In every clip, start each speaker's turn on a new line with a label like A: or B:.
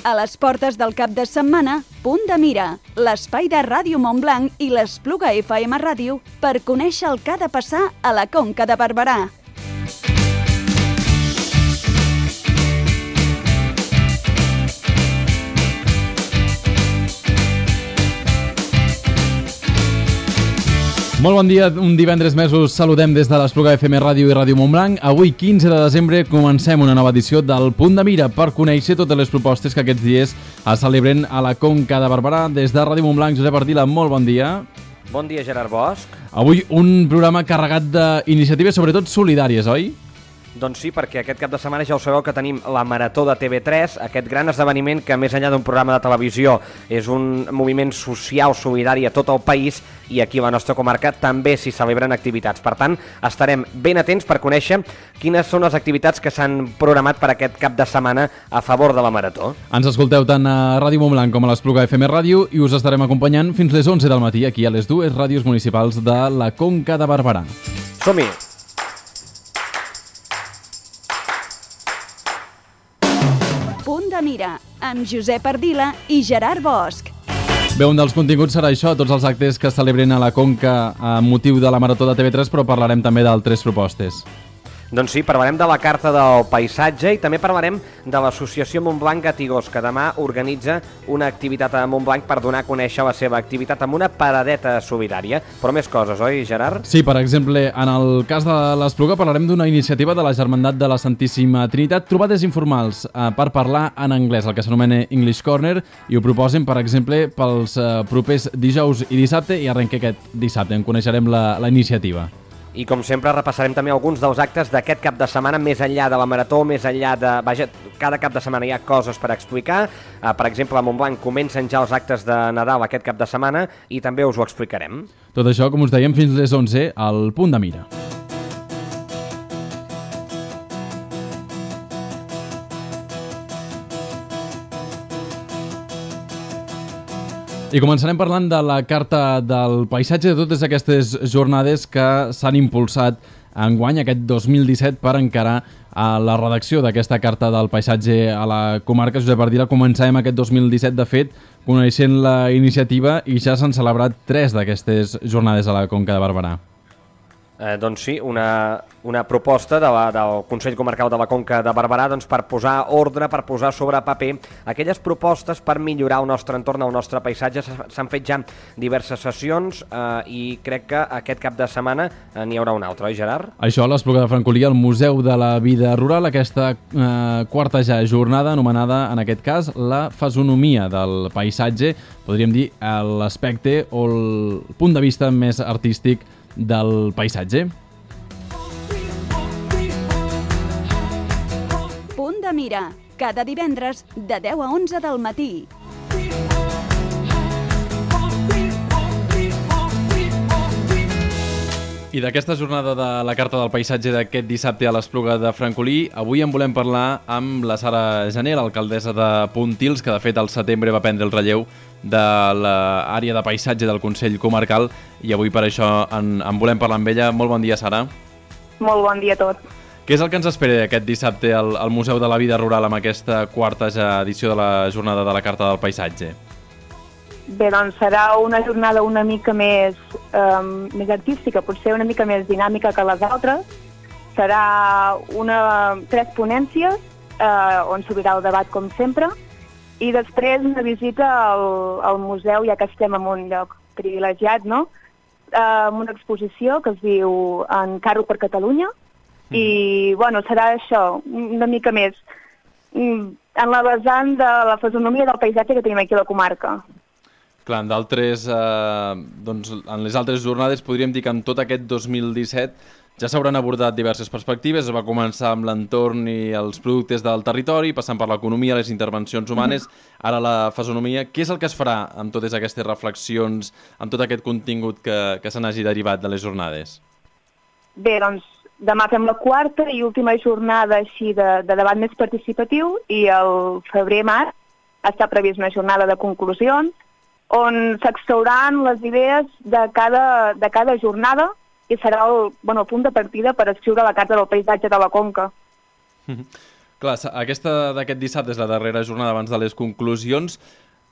A: A les portes del cap de setmana, Punt de Mira, l'espai de Ràdio Montblanc i l'Espluga FM Ràdio per conèixer el que ha de passar a la Conca de Barberà.
B: Molt bon dia, un divendres més us saludem des de l'Espluga FM Ràdio i Ràdio Montblanc. Avui, 15 de desembre, comencem una nova edició del Punt de Mira per conèixer totes les propostes que aquests dies es celebren a la Conca de Barberà. Des de Ràdio Montblanc, Josep Ardila, molt bon dia.
C: Bon dia, Gerard Bosch.
B: Avui un programa carregat d'iniciatives, sobretot solidàries, oi?
C: Doncs sí, perquè aquest cap de setmana ja ho sabeu que tenim la Marató de TV3, aquest gran esdeveniment que més enllà d'un programa de televisió és un moviment social solidari a tot el país i aquí a la nostra comarca també s'hi celebren activitats. Per tant, estarem ben atents per conèixer quines són les activitats que s'han programat per aquest cap de setmana a favor de la Marató.
B: Ens escolteu tant a Ràdio Montblanc com a l'Espluga FM Ràdio i us estarem acompanyant fins les 11 del matí aquí a les dues ràdios municipals de la Conca de Barberà.
C: Som-hi!
A: Punt de Mira, amb Josep Ardila i Gerard Bosch.
B: Bé, un dels continguts serà això, tots els actes que es celebren a la Conca amb motiu de la Marató de TV3, però parlarem també d'altres propostes.
C: Doncs sí, parlarem de la Carta del Paisatge i també parlarem de l'associació Montblanc Gatigós, que demà organitza una activitat a Montblanc per donar a conèixer la seva activitat amb una paradeta solidària. Però més coses, oi, Gerard?
B: Sí, per exemple, en el cas de l'Espluga parlarem d'una iniciativa de la Germandat de la Santíssima Trinitat, trobades informals per parlar en anglès, el que s'anomena English Corner, i ho proposen, per exemple, pels propers dijous i dissabte, i arrenca aquest dissabte, en coneixerem la iniciativa.
C: I com sempre repassarem també alguns dels actes d'aquest cap de setmana, més enllà de la Marató, més enllà de... Vaja, cada cap de setmana hi ha coses per explicar. Per exemple, a Montblanc comencen ja els actes de Nadal aquest cap de setmana i també us ho explicarem.
B: Tot això, com us dèiem, fins les 11 al Punt de Mira. I començarem parlant de la Carta del Paisatge, de totes aquestes jornades que s'han impulsat enguany, aquest 2017, per encarar la redacció d'aquesta Carta del Paisatge a la comarca. Josep Ardila, començàvem aquest 2017, de fet, coneixent la iniciativa i ja s'han celebrat 3 d'aquestes jornades a la Conca de Barberà.
C: Doncs sí, una proposta del Consell Comarcal de la Conca de Barberà per posar ordre, per posar sobre paper aquelles propostes per millorar el nostre entorn, el nostre paisatge. S'han fet ja diverses sessions i crec que aquest cap de setmana n'hi haurà una altra, oi, Gerard?
B: Això a l'Espluga de Francolí, al Museu de la Vida Rural, aquesta quarta ja jornada anomenada, en aquest cas, la fesonomia del paisatge, podríem dir l'aspecte o el punt de vista més artístic del paisatge.
A: Punt de Mira, cada divendres de 10 a 11 del matí.
B: I d'aquesta jornada de la Carta del Paisatge d'aquest dissabte a l'Espluga de Francolí, avui en volem parlar amb la Sara Jané, l'alcaldessa de Pontils, que de fet al setembre va prendre el relleu de l'àrea de paisatge del Consell Comarcal, i avui per això en volem parlar amb ella. Molt bon dia, Sara.
D: Molt bon dia a tots.
B: Què és el que ens espera aquest dissabte al Museu de la Vida Rural amb aquesta quarta ja edició de la jornada de la Carta del Paisatge?
D: Bé, doncs serà una jornada una mica més artística, potser una mica més dinàmica que les altres. Serà 3 ponències on s'obrirà el debat com sempre i després una visita al museu, ja que estem en un lloc privilegiat, no? Amb una exposició que es diu En carro per Catalunya i, bueno, serà això, una mica més en la vessant de la fesonomia del paisatge que tenim aquí a la comarca.
B: Clar, en les altres jornades podríem dir que en tot aquest 2017 ja s'hauran abordat diverses perspectives. Es va començar amb l'entorn i els productes del territori, passant per l'economia, les intervencions humanes, ara la fesonomia. Què és el que es farà amb totes aquestes reflexions, amb tot aquest contingut que se n'hagi derivat de les jornades?
D: Bé, doncs demà fem la quarta i última jornada així de debat més participatiu i el febrer-març està previst una jornada de conclusions on s'extrauran les idees de cada jornada i serà el punt de partida per escriure la Carta del Paisatge de la Conca.
B: Clar, aquesta d'aquest dissabte és la darrera jornada abans de les conclusions.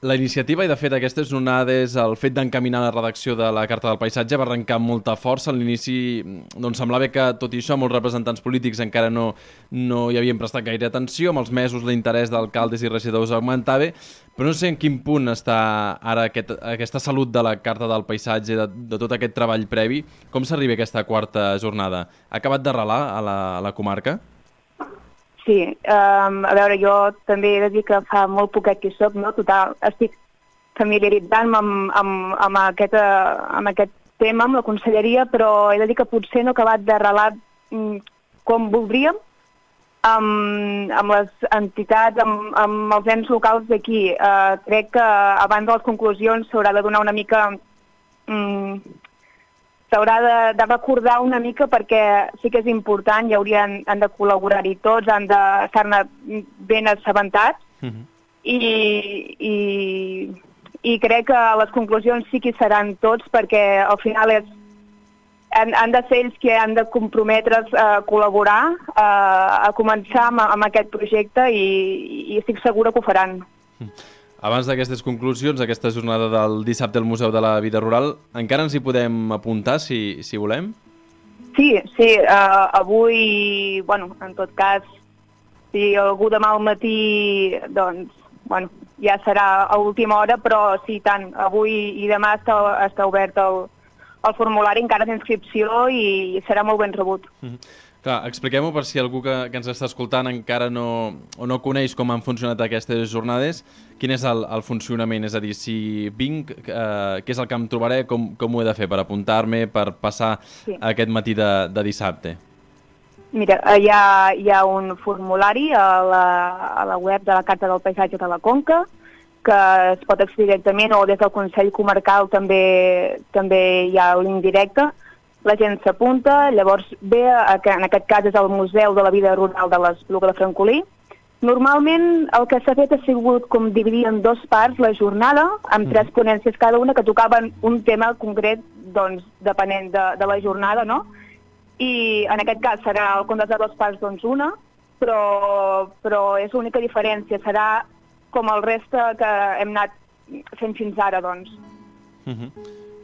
B: La iniciativa, i de fet aquestes jornades, el fet d'encaminar la redacció de la Carta del Paisatge va arrencar amb molta força. A l'inici doncs, semblava que, tot i això, molts representants polítics encara no hi havien prestat gaire atenció. Amb els mesos l'interès d'alcaldes i regidors augmentava, però no sé en quin punt està ara aquesta salut de la Carta del Paisatge, de tot aquest treball previ. Com s'arriba a aquesta quarta jornada? Ha acabat d'arrelar a la comarca?
D: Sí, a veure, jo també he de dir que fa molt poquet que hi soc, no? Total, estic familiaritzant-me amb aquest tema, amb la conselleria, però he de dir que potser no ha acabat d'arrelar com voldríem amb les entitats, amb els ens locals d'aquí. Crec que abans de les conclusions s'haurà de donar una mica... s'haurà de recordar una mica perquè sí que és important, han de col·laborar-hi tots, han d'estar-ne ben assabentats i crec que les conclusions sí que hi seran tots perquè al final han de ser ells que han de comprometre's a col·laborar, a començar amb aquest projecte i estic segura que ho faran.
B: Abans d'aquestes conclusions, aquesta jornada del dissabte al Museu de la Vida Rural, encara ens hi podem apuntar, si volem?
D: Sí, avui, bueno, en tot cas, si algú demà al matí, doncs, bueno, ja serà a última hora, però sí, tant, avui i demà està obert el formulari encara d'inscripció i serà molt ben rebut.
B: Clar, expliquem-ho per si algú que ens està escoltant encara no coneix com han funcionat aquestes jornades. Quin és el funcionament? És a dir, si vinc, què és el que em trobaré? Com ho he de fer per apuntar-me, per passar aquest matí de dissabte?
D: Mira, hi ha un formulari a la web de la Carta del Paisatge de la Conca que es pot accedir directament o des del Consell Comarcal també hi ha el link directe. La gent s'apunta, llavors ve, que en aquest cas és el Museu de la Vida Rural de l'Espluga de Francolí. Normalment el que s'ha fet ha sigut com dividir en dues parts la jornada, amb 3 ponències cada una que tocaven un tema concret, doncs, depenent de la jornada, no? I en aquest cas serà el compte de 2 parts, doncs una, però és l'única diferència, serà com el reste que hem anat fent fins ara, doncs.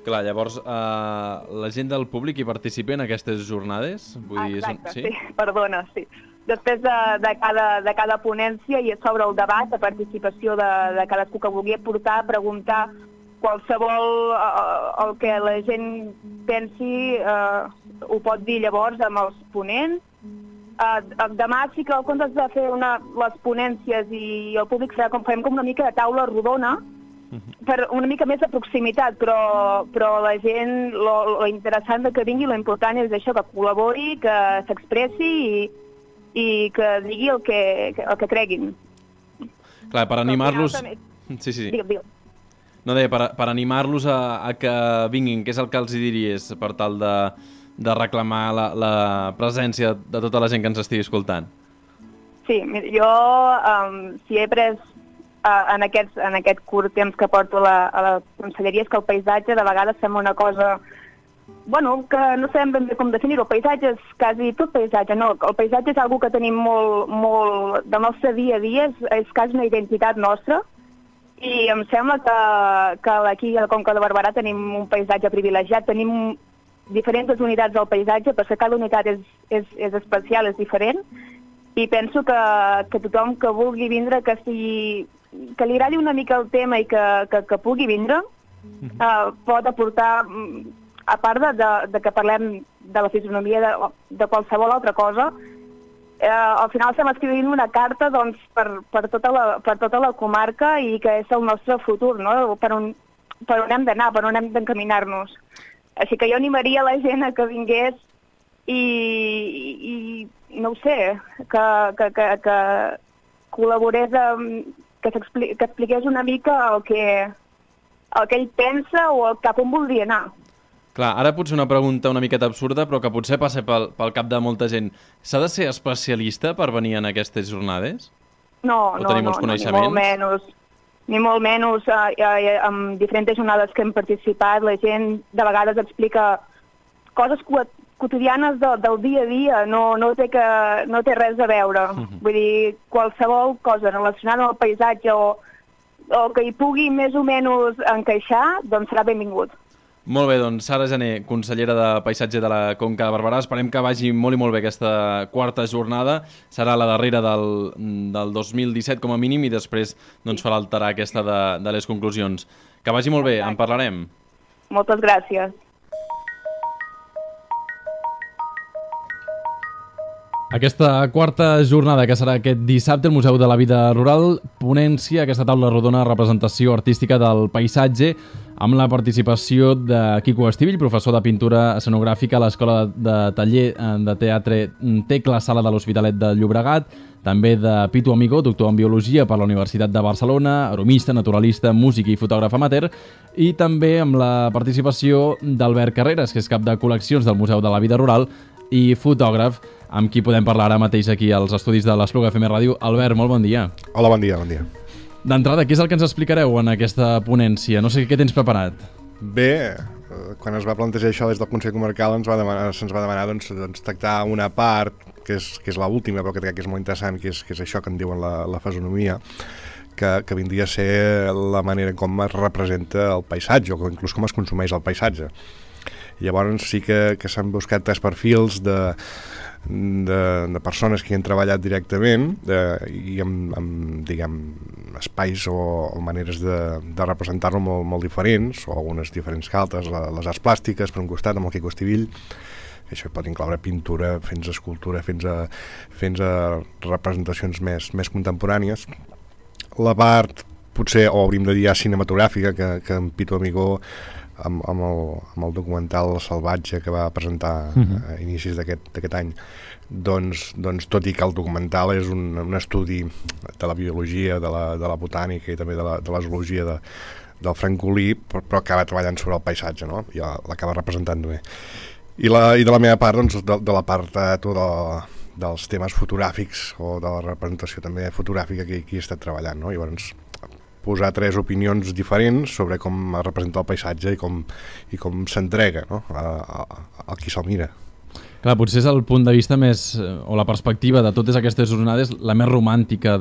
B: Clar, llavors, la gent del públic hi participa en aquestes jornades?
D: Exacte, sí, perdona, sí. Després de cada ponència i sobre el debat, la participació de cadascú que vulgui aportar, preguntar qualsevol el que la gent pensi, ho pot dir llavors amb els ponents. Demà sí que en comptes de fer les ponències i el públic serà com farem com una mica de taula rodona, per una mica més de proximitat, però la gent, lo interessant que vingui, lo important és això, que col·labori, que s'expressi i que digui el que creguin.
B: Clar, per animar-los... Sí.
D: Digue'm.
B: No, deia, per animar-los a que vinguin, què és el que els diries per tal de reclamar la presència de tota la gent que ens estigui escoltant?
D: Sí, jo si he pres en aquest curt temps que porto a la conselleria és que el paisatge de vegades sembla una cosa, bueno, que no sabem ben bé com definir-ho. El paisatge és quasi tot paisatge, no. El paisatge és una que tenim molt del nostre dia a dia, és quasi una identitat nostra i em sembla que aquí a la Conca de Barberà tenim un paisatge privilegiat, tenim diferents unitats del paisatge perquè cada unitat és especial, és diferent i penso que tothom que vulgui vindre, que li agradi una mica el tema i que pugui vindre, pot aportar, a part de que parlem de la fisonomia de qualsevol altra cosa, al final estem escrivint una carta doncs, per tota la comarca i que és el nostre futur, no? Per on hem d'anar, per on hem d'encaminar-nos. Així que jo animaria la gent a que vingués i no ho sé, que col·laborés, que expliqués una mica el que ell pensa o cap on voldria anar.
B: Clar, ara potser una pregunta una miqueta absurda, però que potser passa pel cap de molta gent. S'ha de ser especialista per venir en aquestes jornades?
D: No, ni molt menys. En diferents jornades que hem participat, la gent de vegades explica coses quotidianes del dia a dia, no té res a veure. Vull dir, qualsevol cosa relacionada amb el paisatge o que hi pugui més o menys encaixar, doncs serà benvingut.
B: Molt bé, doncs Sara Gené, consellera de Paisatge de la Conca de Barberà. Esperem que vagi molt i molt bé aquesta quarta jornada. Serà la darrera del 2017 com a mínim i després doncs, farà alterar aquesta de les conclusions. Que vagi molt bé, en parlarem.
D: Moltes gràcies.
B: Aquesta quarta jornada que serà aquest dissabte al Museu de la Vida Rural, ponència, aquesta taula rodona representació artística del paisatge amb la participació de Quico Estivill, professor de pintura escenogràfica a l'Escola de Taller de Teatre Tecla Sala de l'Hospitalet de Llobregat, també de Pitu Amigó, doctor en Biologia per la Universitat de Barcelona, aromista, naturalista, músic i fotògraf amateur, i també amb la participació d'Albert Carreras, que és cap de col·leccions del Museu de la Vida Rural i fotògraf, amb qui podem parlar ara mateix aquí als estudis de l'Espluga FM Ràdio. Albert, molt bon dia.
E: Hola, bon dia, bon dia.
B: D'entrada, què és el que ens explicareu en aquesta ponència? No sé què tens preparat.
E: Bé, quan es va plantejar això des del Consell Comarcal se'ns va demanar doncs, tractar una part, que és l'última, però que crec que és molt interessant, que és això que en diuen la fesonomia, que vindria a ser la manera com es representa el paisatge, o inclús com es consumeix el paisatge. Llavors sí que s'han buscat 3 perfils de persones que hi han treballat directament i amb diguem, espais o maneres de representar-lo molt diferents, o algunes diferents que altres. Les arts plàstiques, per un costat, amb el Quico Estivill, això pot incloure pintura, fins a escultura, fins a representacions més contemporànies. La part, potser, o hauríem de dir cinematogràfica, que en Pitu Amigó, amb el documental Salvatge que va presentar a inicis d'aquest any, doncs tot i que el documental és un estudi de la biologia, de la botànica i també de la zoologia del francolí, però acaba treballant sobre el paisatge, no? I l'acaba representant també. I de la meva part, doncs, de la part dels temes fotogràfics o de la representació també fotogràfica que he estat treballant, no? Llavors, posar 3 opinions diferents sobre com es representa el paisatge i com s'entrega, no? a qui se'l mira.
B: Clar, potser és el punt de vista més, o la perspectiva de totes aquestes jornades, la més romàntica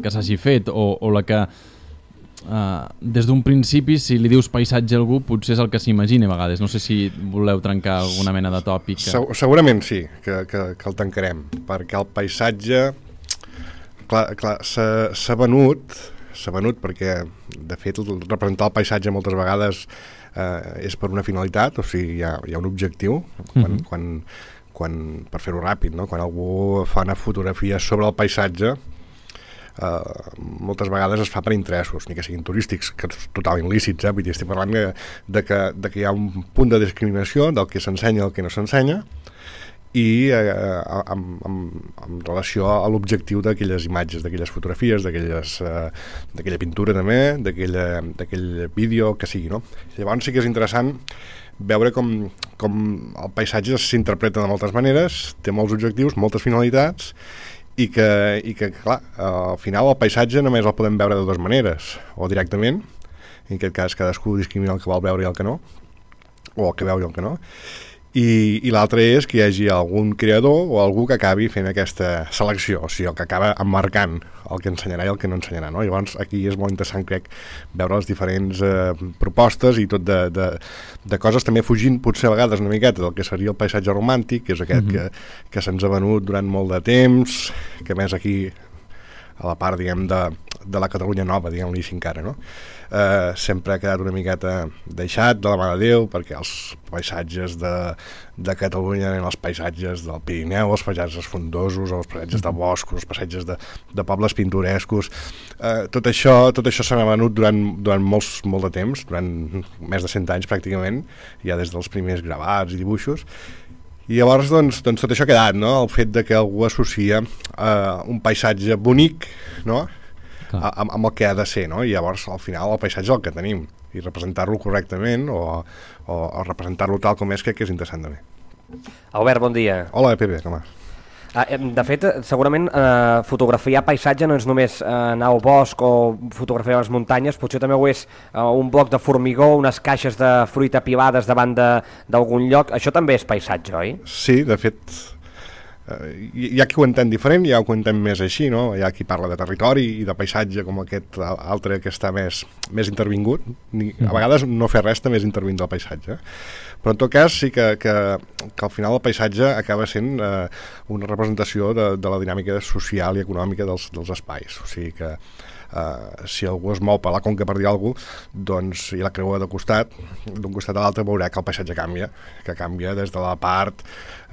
B: que s'hagi fet, o la que des d'un principi, si li dius paisatge a algú, potser és el que s'imagina a vegades. No sé si voleu trencar alguna mena de tòpic.
E: Segurament sí, que el tancarem, perquè el paisatge clar, s'ha venut perquè, de fet, representar el paisatge moltes vegades és per una finalitat, o sigui, hi ha un objectiu, quan per fer-ho ràpid, no? Quan algú fa una fotografia sobre el paisatge, moltes vegades es fa per interessos, ni que siguin turístics, que és totalment lícits, vull dir, estic parlant de que hi ha un punt de discriminació del que s'ensenya i el que no s'ensenya, i en relació a l'objectiu d'aquelles imatges, d'aquelles fotografies, d'aquella pintura també, d'aquell vídeo, que sigui, no? Llavors sí que és interessant veure com el paisatge s'interpreta de moltes maneres, té molts objectius, moltes finalitats, i que clar, al final el paisatge només el podem veure de 2 maneres, o directament, en aquest cas cadascú discrimina el que vol veure i el que no, o el que veu i el que no, i l'altre és que hi hagi algun creador o algú que acabi fent aquesta selecció, o sigui, el que acaba emmarcant el que ensenyarà i el que no ensenyarà, no? Llavors aquí és molt interessant, crec, veure les diferents propostes i tot de coses, també fugint potser a vegades una miqueta del que seria el paisatge romàntic, que és aquest que se'ns ha venut durant molt de temps, que més aquí a la part, diguem, de la Catalunya nova, diguem-li així encara, no? Sempre ha quedat una miqueta deixat de la mà de Déu, perquè els paisatges de Catalunya eren els paisatges del Pirineu, els paisatges frondosos, els paisatges de boscos, els paisatges de pobles pintorescos. Tot això s'ha venut durant molt de temps, durant més de 100 anys pràcticament, ja des dels primers gravats i dibuixos. I llavors, doncs tot això ha quedat, no? El fet de que algú associa un paisatge bonic, no? Amb el que ha de ser, no? I llavors, al final, el paisatge és el que tenim. I representar-lo correctament o representar-lo tal com és, crec que és interessant també.
C: Albert, bon dia.
E: Hola, Pepe, com vas?
C: De fet, segurament fotografiar paisatge no és només anar al bosc o fotografiar les muntanyes, potser també ho és un bloc de formigó, unes caixes de fruita pilades davant d'algun lloc. Això també és paisatge, oi?
E: Sí, de fet, hi ha qui ho entén diferent, hi ha qui ho entén més així, no? Hi ha qui parla de territori i de paisatge com aquest altre que està més intervingut. A vegades no fer res també és intervint del paisatge. Però en tot cas sí que al final el paisatge acaba sent una representació de la dinàmica social i econòmica dels espais. O sigui que si algú es mou per la conca per dir alguna cosa, doncs, i la creua d'un costat a l'altre veurà que el paisatge canvia, que canvia des de la part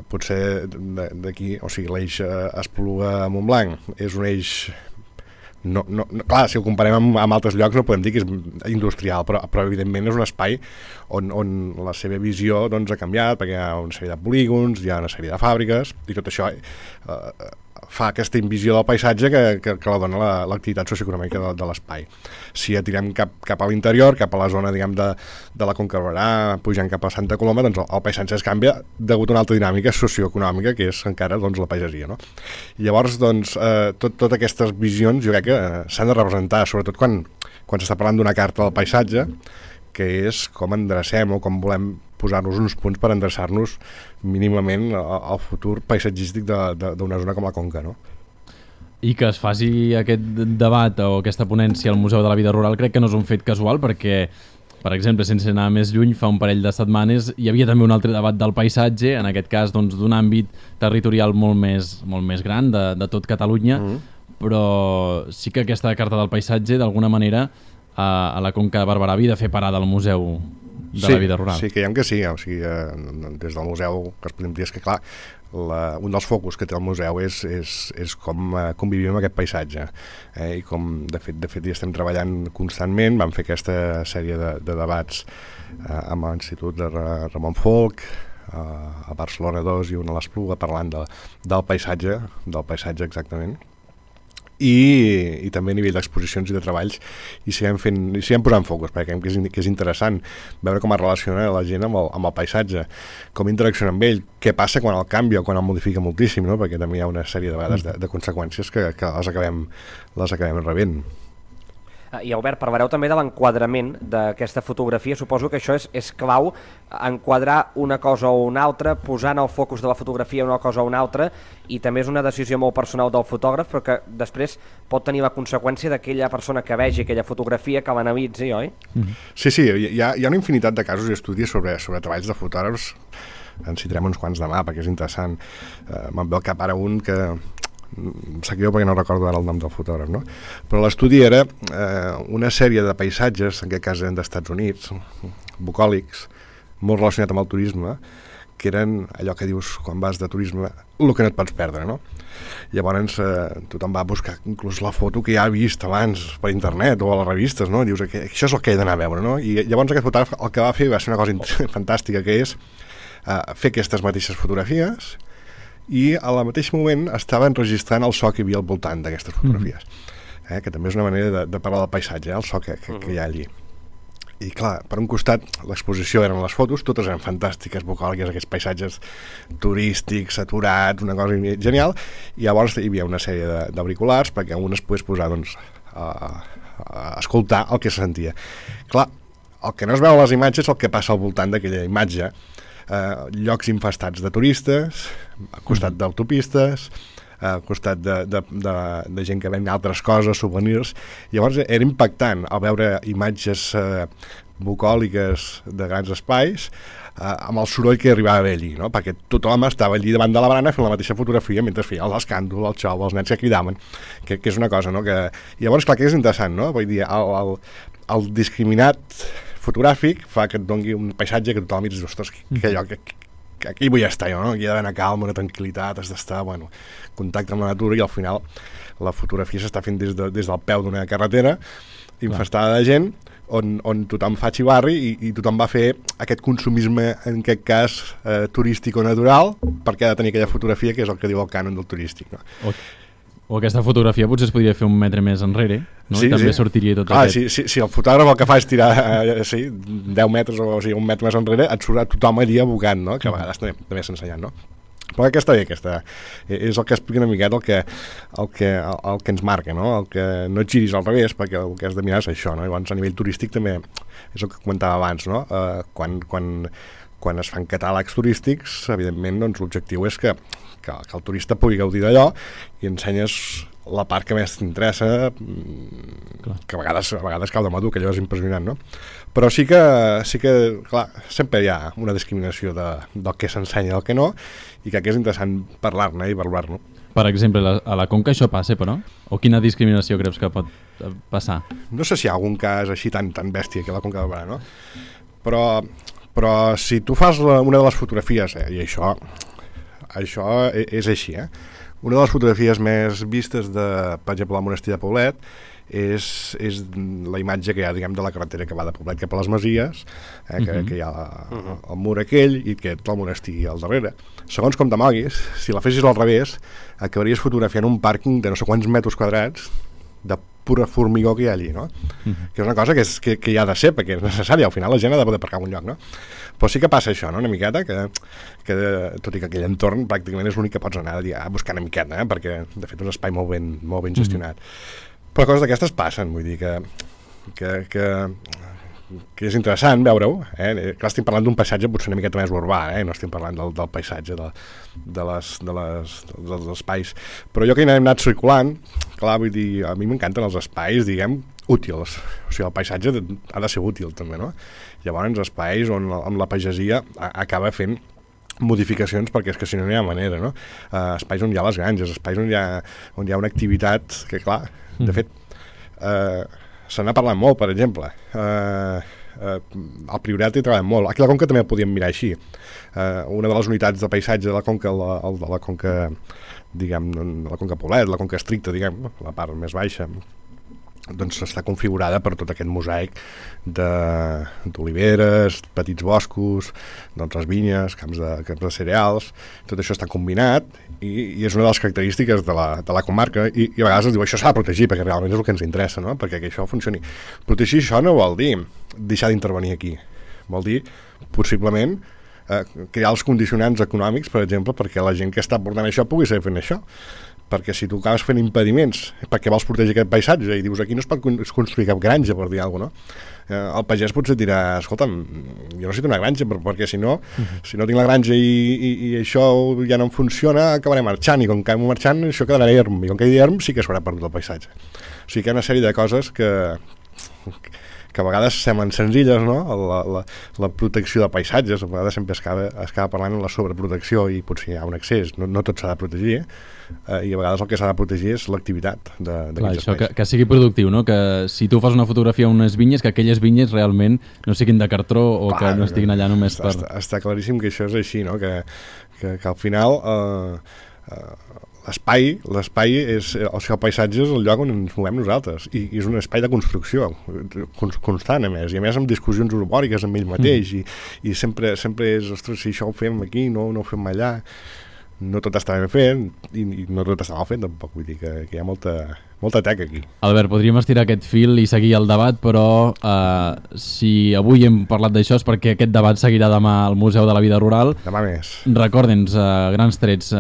E: potser d'aquí, o sigui, l'eix Espluga-Montblanc és un eix clar, si ho comparem amb altres llocs no podem dir que és industrial, però evidentment és un espai on la seva visió doncs, ha canviat, perquè hi ha una sèrie de polígons, hi ha una sèrie de fàbriques, i tot això fa aquesta invisió del paisatge que la dona l'activitat socioeconòmica de l'espai. Si ja tirem cap a l'interior, cap a la zona diguem, de la Conca de Barberà, pujant cap a Santa Coloma, doncs el paisatge es canvia degut a una altra dinàmica socioeconòmica que és encara doncs, la pagesia. No? I llavors, doncs, totes aquestes visions jo crec que s'han de representar, sobretot quan s'està parlant d'una carta del paisatge, que és com endrecem o com volem posar-nos uns punts per endreçar-nos mínimament al futur paisatgístic d'una zona com la Conca, no?
B: I que es faci aquest debat o aquesta ponència al Museu de la Vida Rural crec que no és un fet casual perquè, per exemple, sense anar més lluny, fa un parell de setmanes hi havia també un altre debat del paisatge, en aquest cas doncs, d'un àmbit territorial molt més gran de tot Catalunya, però sí que aquesta carta del paisatge d'alguna manera a la Conca de Barberà havia de fer parada al Museu de la Vida Rural. Sí,
E: creiem que sí, o sigui, des del museu que es podem dir és que clar, un dels focus que té el museu és com convivim amb aquest paisatge i com de fet hi estem treballant constantment. Vam fer aquesta sèrie de debats amb l'Institut de Ramon Folch a Barcelona 2 i una a l'Espluga parlant del paisatge exactament. I també a nivell d'exposicions i de treballs i seguim posant focus perquè creiem que és interessant veure com es relaciona la gent amb el paisatge, com interacciona amb ell, què passa quan el canvia o quan el modifica moltíssim, no? Perquè també hi ha una sèrie de vegades de conseqüències que les acabem rebent.
C: I Albert, parlareu també de l'enquadrament d'aquesta fotografia. Suposo que això és clau, enquadrar una cosa o una altra, posar en el focus de la fotografia una cosa o una altra, i també és una decisió molt personal del fotògraf, però que després pot tenir la conseqüència d'aquella persona que vegi aquella fotografia, que l'analitzi, oi?
E: Sí, hi ha una infinitat de casos i estudis sobre treballs de fotògrafs. En citarem uns quants demà, perquè és interessant. Me'n ve al cap ara un que em sap greu perquè no recordo ara el nom del fotògraf, no? Però l'estudi era una sèrie de paisatges, en aquest cas eren d'Estats Units, bucòlics, molt relacionat amb el turisme, que eren allò que dius quan vas de turisme, el que no et pots perdre, no? Llavors tothom va buscar inclús la foto que ja ha vist abans per internet o a les revistes, no? Dius, això és el que he d'anar a veure, no? I llavors aquest fotògraf el que va fer va ser una cosa fantàstica, que és fer aquestes mateixes fotografies i al mateix moment estaven registrant el so que hi havia al voltant d'aquestes fotografies, que també és una manera de parlar del paisatge, el so que hi ha allí. I clar, per un costat l'exposició eren les fotos, totes eren fantàstiques, bucòliques, aquests paisatges turístics, saturats, una cosa genial, i llavors hi havia una sèrie d'auriculars perquè un es pogués posar doncs, a escoltar el que se sentia. Clar, el que no es veu a les imatges és el que passa al voltant d'aquella imatge, llocs infestats de turistes, al costat d'autopistes, al costat de gent que ven altres coses, souvenirs. Llavors era impactant al veure imatges bucòliques de grans espais amb el soroll que arribava a haver allí, no? Perquè tothom estava allí davant de la barana fent la mateixa fotografia mentre feia l'escàndol, el xou, els nens que cridaven, que és una cosa, no? Llavors, clar, que és interessant, no? Vull dir, el discriminat fotogràfic fa que et doni un paisatge que tothom dius, ostres, que aquí vull estar jo, no? Aquí hi ha d'haver una calma, una tranquil·litat, has d'estar, bueno, contacte amb la natura, i al final la fotografia s'està fent des del peu d'una carretera infestada de gent, on tothom fa xivarri i tothom va fer aquest consumisme, en aquest cas turístic o natural, perquè ha de tenir aquella fotografia que és el que diu el cànon del turístic, no?
B: O aquesta fotografia potser es podria fer un metre més enrere, no? I també sortiria tot aquest...
E: Si el fotògraf el que fa és tirar 10 metres o sigui, un metre més enrere, et surt a tothom allí abocant, no? Que a vegades també s'ha ensenyat, no? Però aquesta és el que explica una miqueta el que ens marca, no? El que no et giris al revés, perquè el que has de mirar és això, no? Llavors, a nivell turístic també és el que comentava abans, no? Quan es fan catàlegs turístics, evidentment, doncs, l'objectiu és que el turista pugui gaudir d'allò i ensenyes la part que més t'interessa, que a vegades cau de madur, que allò és impressionant, no? Però sí que, clar, sempre hi ha una discriminació del que s'ensenya i del que no, i que és interessant parlar-ne i valorar-ne.
B: Per exemple, a la Conca això passa, però? O quina discriminació creus que pot passar?
E: No sé si hi ha algun cas així tan bèstia que a la Conca de Barberà, no? Però si tu fas una de les fotografies, i això és així, una de les fotografies més vistes per exemple, del monestir de Poblet és la imatge que hi ha, diguem, de la carretera que va de Poblet cap a les Masies, que hi ha el mur aquell i que tot el monestir al darrere. Segons com te moguis, si la fessis al revés, acabaries fotografiant un pàrquing de no sé quants metres quadrats de pura formigó que hi ha allí, no? Que és una cosa que hi ha de ser, perquè és necessària, al final la gent ha de poder aparcar en un lloc, no? Però sí que passa això, no? Una miqueta, que tot i que aquell entorn pràcticament és l'únic que pots anar a buscar una miqueta, perquè de fet és un espai molt ben gestionat. Però coses d'aquestes passen, vull dir que és interessant veure-ho, Clar, estem parlant d'un paisatge potser una miqueta més urbà, no estem parlant del paisatge dels espais, però jo que he anat circulant, clar, vull dir, a mi m'encanten els espais, diguem, útils, o sigui, el paisatge ha de ser útil també, no? Llavors, espais on amb la pagesia acaba fent modificacions, perquè és que si no hi ha manera, no? Espais on hi ha les granges, espais on hi ha una activitat que, clar, de fet, se n'ha parlat molt, per exemple. Al Priorat hi treballem molt. Aquí a la Conca també ho podíem mirar així. Una de les unitats de paisatge de la Conca, de la Conca, diguem, de la Conca Poblet, la Conca estricta, diguem, la part més baixa, doncs està configurada per tot aquest mosaic d'oliveres, petits boscos, doncs les vinyes, camps de cereals, tot això està combinat i és una de les característiques de la comarca i a vegades es diu això s'ha de protegir perquè realment és el que ens interessa, no? Perquè que això funcioni. Protegir això no vol dir deixar d'intervenir aquí, vol dir possiblement crear els condicionants econòmics, per exemple, perquè la gent que està portant això pugui seguir fent això. Perquè si tu acabes fent impediments perquè vols protegir aquest paisatge i dius aquí no es pot construir cap granja, per dir alguna cosa, no? El pagès potser et dirà, escolta'm, jo necessito una granja perquè si no tinc la granja i això ja no em funciona, acabaré marxant, i com que acabem marxant això quedarà erm, i com que hi erm sí que s'haurà perdut el paisatge. O sigui que hi ha una sèrie de coses que a vegades semblen senzilles, no? La protecció de paisatges, a vegades sempre es acaba parlant de la sobreprotecció i potser hi ha un excés, no tot s'ha de protegir, i a vegades el que s'ha de protegir és l'activitat d'aquests espais.
B: Que sigui productiu, no? Que si tu fas una fotografia a unes vinyes, que aquelles vinyes realment no siguin de cartró o que no estiguin allà només per...
E: Està claríssim que això és així, no? Que al final l'espai és, o sigui, el paisatge és el lloc on ens movem nosaltres i és un espai de construcció constant, a més amb discussions urbòriques amb ell mateix i sempre és, ostres, si això ho fem aquí, no ho fem allà, no tot està ben fet i no tot està mal fet tampoc, vull dir que hi ha molta teca aquí.
B: Albert, podríem estirar aquest fil i seguir el debat, però si avui hem parlat d'això és perquè aquest debat seguirà demà al Museu de la Vida Rural.
E: Demà més.
B: Recorda'ns, grans trets,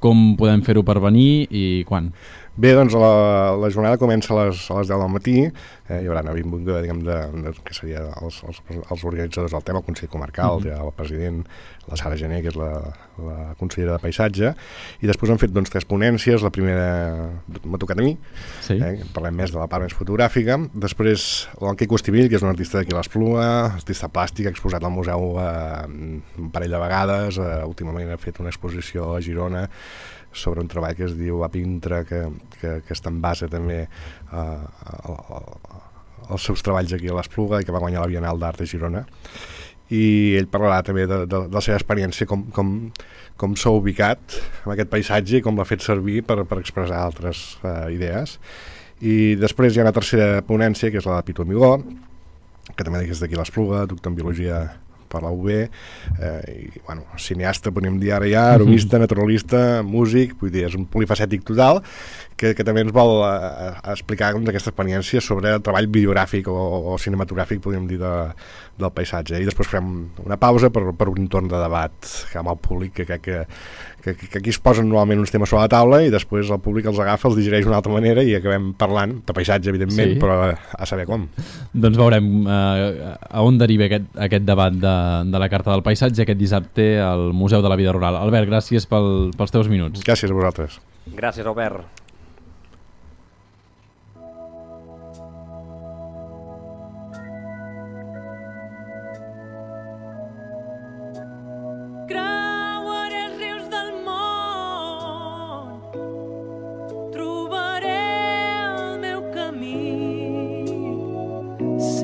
B: com podem fer-ho per venir i quan?
E: Bé, doncs la jornada comença a les 10 del matí, hi haurà una vinguda, diguem, que seria els organitzadors del tema, el Consell Comarcal, el president, la Sara Gené, que és la consellera de Paisatge, i després han fet 3 ponències, la primera m'ha tocat a mi,
B: sí.
E: Parlem més de la part més fotogràfica, després l'Enquico Estivill, que és un artista d'aquí a l'Espluga, artista plàstic, ha exposat al museu un parell de vegades, últimament ha fet una exposició a Girona, sobre un treball que es diu Apintra, que està en base també als seus treballs aquí a l'Espluga i que va guanyar la Bienal d'Art de Girona. I ell parlarà també de la seva experiència, com s'ha ubicat en aquest paisatge i com l'ha fet servir per expressar altres idees. I després hi ha una tercera ponència, que és la de Pitu Amigó, que també és d'aquí a l'Espluga, doctor en Biologia per la UB, i, bueno, cineasta, podem dir ara ja, aromista, naturalista, músic, vull dir, és un polifacètic total, que també ens vol explicar doncs, aquesta experiència sobre el treball bibliogràfic o cinematogràfic, podríem dir, del paisatge. I després farem una pausa per un torn de debat amb el públic, que crec que aquí es posen normalment uns temes sobre la taula i després el públic els agafa, els digereix d'una altra manera i acabem parlant de paisatge, evidentment, però a saber com.
B: Doncs veurem a on deriva aquest debat de la Carta del Paisatge aquest dissabte al Museu de la Vida Rural. Albert, gràcies pels teus minuts.
E: Gràcies a vosaltres.
C: Gràcies, Albert.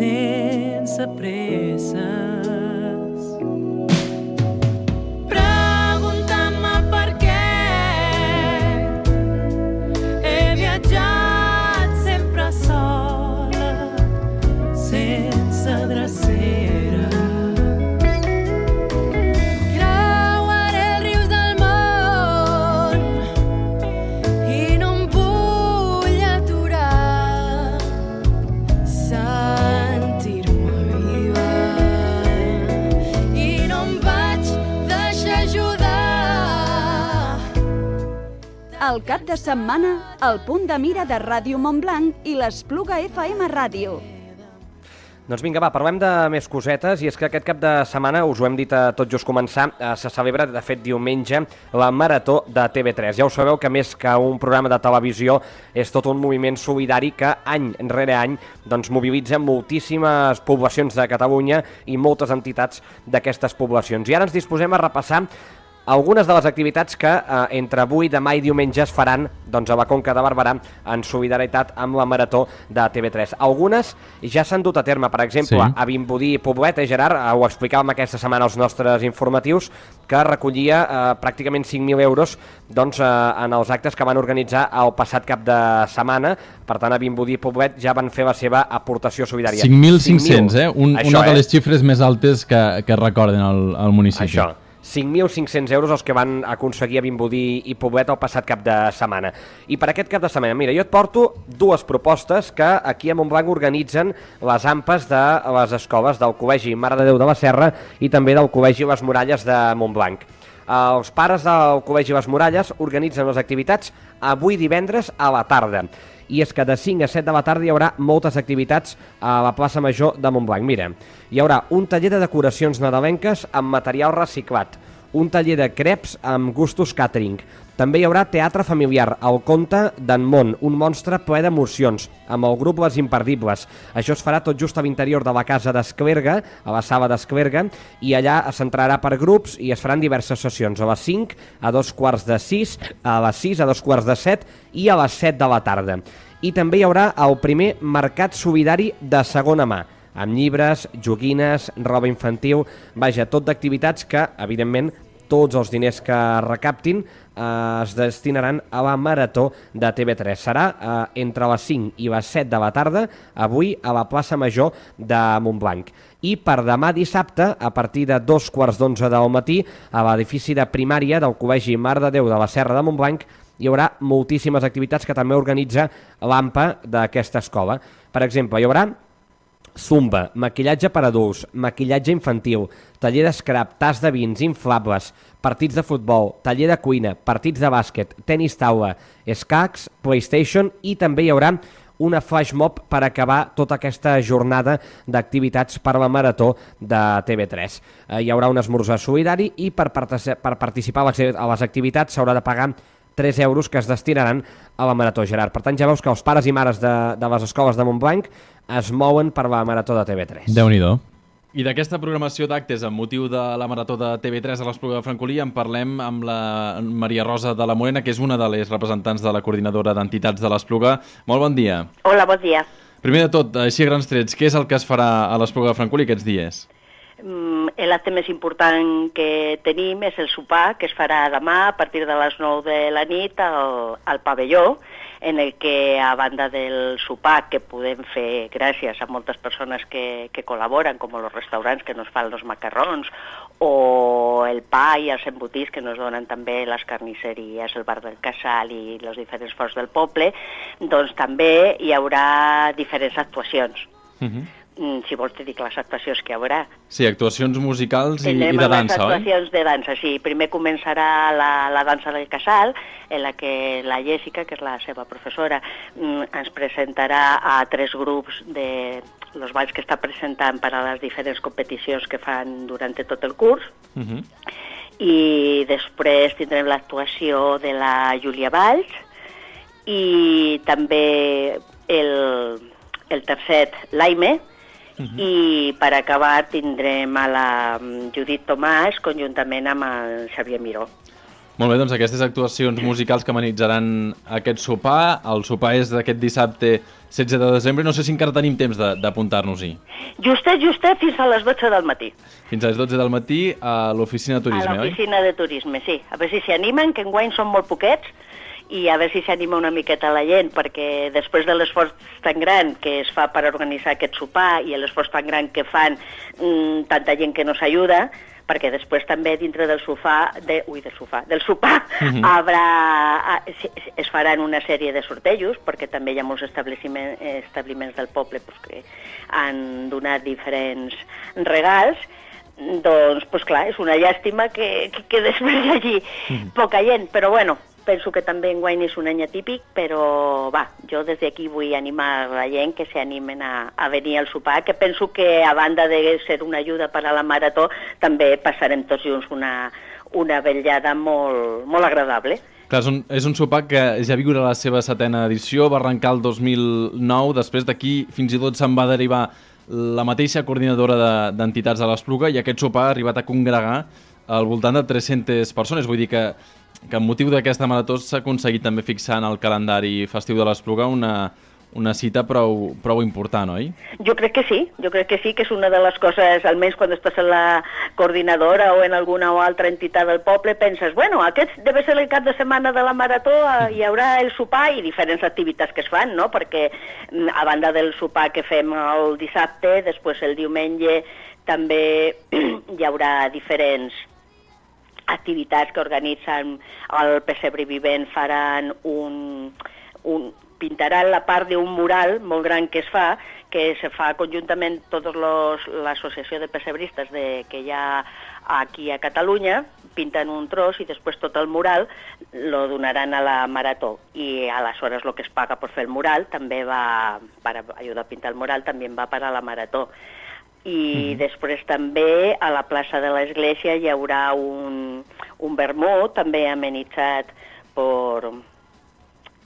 F: Sense presses, preguntant-me per què he viatjat sempre sola, sense drecera. Creuaré els rius del món i no em vull aturar.
A: El cap de setmana, el punt de mira de Ràdio Montblanc i l'Espluga FM Ràdio.
C: Doncs vinga, va, parlem de més cosetes, i és que aquest cap de setmana, us ho hem dit a tot just començar, se celebra, de fet, diumenge, la Marató de TV3. Ja ho sabeu que més que un programa de televisió és tot un moviment solidari que any rere any doncs, mobilitza moltíssimes poblacions de Catalunya i moltes entitats d'aquestes poblacions. I ara ens disposem a repassar algunes de les activitats que entre avui, demà i diumenge es faran doncs, a la Conca de Barberà en solidaritat amb la Marató de TV3. Algunes ja s'han dut a terme, per exemple, a Vimbodí i Poblet, Gerard, ho explicàvem aquesta setmana als nostres informatius, que recollia pràcticament 5.000 euros doncs, en els actes que van organitzar el passat cap de setmana. Per tant, a Vimbodí i Poblet ja van fer la seva aportació solidària.
B: 5.500, una de les xifres més altes que recorden al municipi.
C: Això. 5.500 euros els que van aconseguir a Vimbodí i Poblet el passat cap de setmana. I per aquest cap de setmana, mira, jo et porto dues propostes que aquí a Montblanc organitzen les AMPAs de les escoles del Col·legi Mare de Déu de la Serra i també del Col·legi Les Muralles de Montblanc. Els pares del Col·legi Les Muralles organitzen les activitats avui divendres a la tarda. I és que de 5 a 7 de la tarda hi haurà moltes activitats a la plaça Major de Montblanc. Mira, hi haurà un taller de decoracions nadalenques amb material reciclat, un taller de creps amb gustos catering. També hi haurà teatre familiar, el conte d'en Mont, un monstre ple d'emocions, amb el grup Les Imperdibles. Això es farà tot just a l'interior de la casa d'Esclerga, a la sala d'Esclerga, i allà es centrarà per grups i es faran diverses sessions, a les 5, a 2:45, a les 6, a 2:45 i a les 7 de la tarda. I també hi haurà el primer mercat solidari de segona mà, amb llibres, joguines, roba infantil, vaja, tot d'activitats que, evidentment, tots els diners que recaptin es destinaran a la Marató de TV3. Serà entre les 5 i les 7 de la tarda, avui a la plaça Major de Montblanc. I per demà dissabte, a partir de 2:15 del matí, a l'edifici de primària del Col·legi Mare de Déu de la Serra de Montblanc, hi haurà moltíssimes activitats que també organitza l'AMPA d'aquesta escola. Per exemple, hi haurà zumba, maquillatge per adults, maquillatge infantil, taller d'escrap, tas de vins, inflables, partits de futbol, taller de cuina, partits de bàsquet, tenis taula, escacs, PlayStation, i també hi haurà una flash mob per acabar tota aquesta jornada d'activitats per la Marató de TV3. Hi haurà un esmorzar solidari i per participar a les activitats s'haurà de pagar 3 euros que es destinaran a la Marató, Gerard. Per tant, ja veus que els pares i mares de les escoles de Montblanc es mouen per la Marató de TV3.
B: Déu-n'hi-do. I d'aquesta programació d'actes amb motiu de la Marató de TV3 a l'Espluga de Francolí en parlem amb la Maria Rosa de la Morena, que és una de les representants de la coordinadora d'entitats de l'Espluga. Molt bon dia.
G: Hola, bon dia.
B: Primer de tot, així a grans trets, què és el que es farà a l'Espluga de Francolí aquests dies?
G: L'acte més important que tenim és el sopar, que es farà demà a partir de les 9 de la nit al pavelló. en el que, a banda del sopar, que podem fer gràcies a moltes persones que col·laboren, com els restaurants que nos fan els macarrons, o el pa i els embotits que nos donen també les carnisseries, el bar del Casal i els diferents forts del poble, doncs també hi haurà diferents actuacions. Si vols te dic les actuacions que hi haurà.
B: Sí, actuacions musicals i de
G: Tindrem les
B: dansa, oi?
G: actuacions de dansa, sí. Primer començarà la dansa del Casal, en la que la Jessica, que és la seva professora, ens presentarà a 3 grups de los balls que està presentant per a les diferents competicions que fan durant tot el curs. I després tindrem l'actuació de la Júlia Valls i també el tercet, l'Aime, i per acabar tindrem a la Judit Tomàs conjuntament amb el Xavier Miró.
B: Molt bé, doncs aquestes actuacions musicals que amenitzarà aquest sopar. El sopar és d'aquest dissabte 16 de desembre. No sé si encara tenim temps d'apuntar-nos-hi.
G: Justet, fins a les 12 del matí.
B: Fins a les 12 del matí a l'oficina de turisme,
G: A
B: oi?
G: l'oficina de turisme, sí. A veure si s'hi animen, que enguany són molt poquets, i a veure si s'anima una miqueta la gent, perquè després de l'esforç tan gran que es fa per organitzar aquest sopar i l'esforç tan gran que fan tanta gent que nos ajuda, perquè després també dintre del sopar es faran una sèrie de sortejos, perquè també hi ha molts establiments del poble que han donat diferents regals. Doncs, clar, és una llàstima que després hi hagi poca gent, però bueno, penso que també enguany és un any atípic, però jo des d'aquí vull animar la gent que s'animen a venir al sopar, que penso que a banda de ser una ajuda per a la marató, també passarem tots junts una vetllada molt agradable.
B: Clar, és un sopar que ja viurà la seva 7ª edició, va arrencar el 2009, després d'aquí fins i tot se'n va derivar la mateixa coordinadora d'entitats de l'Espluga, i aquest sopar ha arribat a congregar al voltant de 300 persones. Vull dir que amb motiu d'aquesta marató s'ha aconseguit també fixar en el calendari festiu de l'Espluga una cita prou important, oi?
G: Jo crec que sí, que és una de les coses, almenys quan estàs en la coordinadora o en alguna o altra entitat del poble, penses, bueno, aquest deve ser el cap de setmana de la marató, hi haurà el sopar i diferents activitats que es fan, no? Perquè a banda del sopar que fem el dissabte, després el diumenge també hi haurà diferents activitats que organitzen el Pessebre Vivent, faran pintaran la part d'un mural molt gran que se fa conjuntament tota l'associació de pessebristes que hi ha aquí a Catalunya, pinten un tros i després tot el mural lo donaran a la marató, i aleshores el que es paga per fer el mural també va, per ajudar a pintar el mural, també va per a la marató. I després també a la plaça de l'església hi haurà un vermut també amenitzat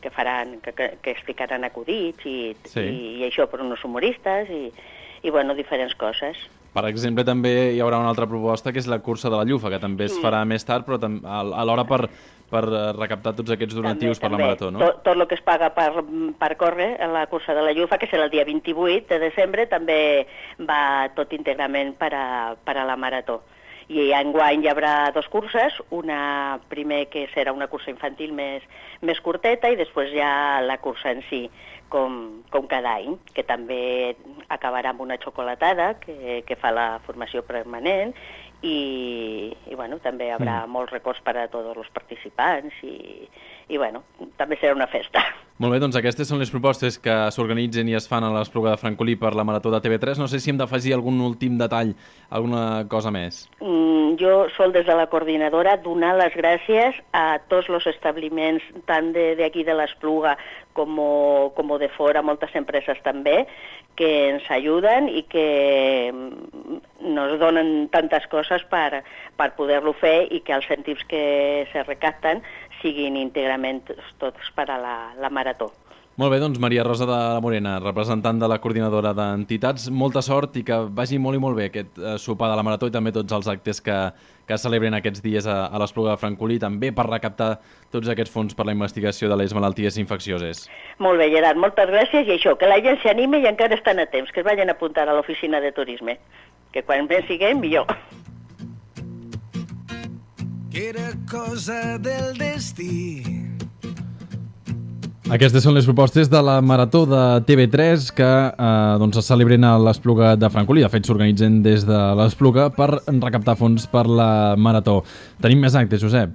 G: que explicaran acudits i això per uns humoristes i bueno, diferents coses.
B: Per exemple, també hi haurà una altra proposta que és la cursa de la Llufa, que també es farà més tard, però alhora per recaptar tots aquests donatius per la marató, no?
G: Tot el que es paga per córrer a la cursa de la Llufa, que serà el dia 28 de desembre, també va tot íntegrament per a la marató. I enguany hi haurà 2 curses, una primer que serà una cursa infantil més curteta i després ja la cursa en si, com cada any, que també acabarà amb una xocolatada que fa la formació permanent i bueno, també hi haurà molts records per a tots els participants i bueno, també serà una festa.
B: Molt bé, doncs aquestes són les propostes que s'organitzen i es fan a l'Espluga de Francolí per la marató de TV3. No sé si hem d'afegir algun últim detall, alguna cosa més.
G: Jo sol des de la coordinadora donar les gràcies a tots els establiments, tant d'aquí de l'Espluga com de fora, moltes empreses també, que ens ajuden i que nos donen tantes coses per poder-lo fer i que els cèntims que se recapten siguin íntegrament tots per a la marató.
B: Molt bé, doncs Maria Rosa de la Morena, representant de la coordinadora d'entitats, molta sort i que vagi molt i molt bé aquest sopar de la marató i també tots els actes que celebren aquests dies a l'Espluga de Francolí, també per recaptar tots aquests fons per la investigació de les malalties infeccioses.
G: Molt bé, Gerard, moltes gràcies i això, que la gent s'anime i encara estan a temps, que es vagin a apuntar a l'oficina de turisme, que quan més siguem, millor.
H: Que era cosa del destí.
B: Aquestes són les propostes de la Marató de TV3 que doncs es celebren a l'Espluga de Francolí. De fet, s'organitzen des de l'Espluga per recaptar fons per la Marató. Tenim més actes, Josep.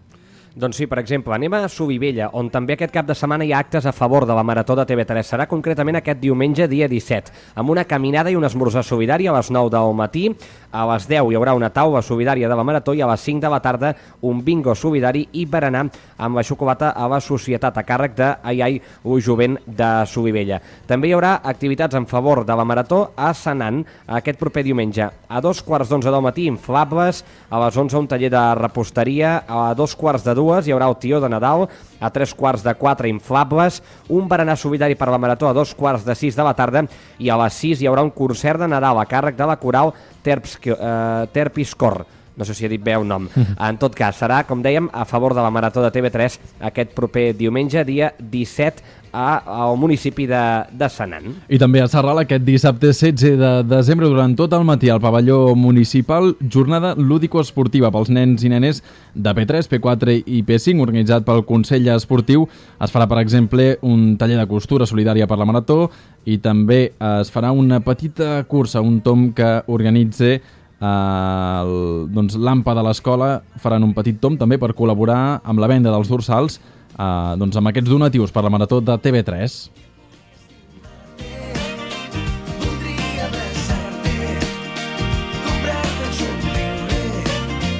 C: Doncs sí, per exemple, anem a Solivella, on també aquest cap de setmana hi ha actes a favor de la Marató de TV3. Serà concretament aquest diumenge, dia 17, amb una caminada i un esmorzar solidari a les 9 del matí. A les 10 hi haurà una taula solidària de la Marató i a les 5 de la tarda un bingo solidari i berenar amb la xocolata a la societat a càrrec de Ai, el jovent de Solivella. També hi haurà activitats en favor de la Marató a Senan aquest proper diumenge. A 2:15 del matí, inflables, a les 11 un taller de reposteria, a 2:45 hi haurà el tió de Nadal, a 3:45 inflables, un berenar solidari per la Marató a 5:45 de la tarda i a les 6 hi haurà un concert de Nadal a càrrec de la coral Terpiscor. No sé si he dit bé el nom. En tot cas, serà, com dèiem, a favor de la Marató de TV3 aquest proper diumenge, dia 17, al municipi de Senan.
B: I també a Sarral aquest dissabte 16 de desembre durant tot el matí al pavelló municipal, jornada lúdico-esportiva pels nens i nenes de P3, P4 i P5, organitzat pel Consell Esportiu. Es farà, per exemple, un taller de costura solidària per la Marató i també es farà una petita cursa, un tom que organitza doncs, l'AMPA de l'escola. Faran un petit tom també per col·laborar amb la venda dels dorsals doncs, amb aquests donatius per la Marató de TV3.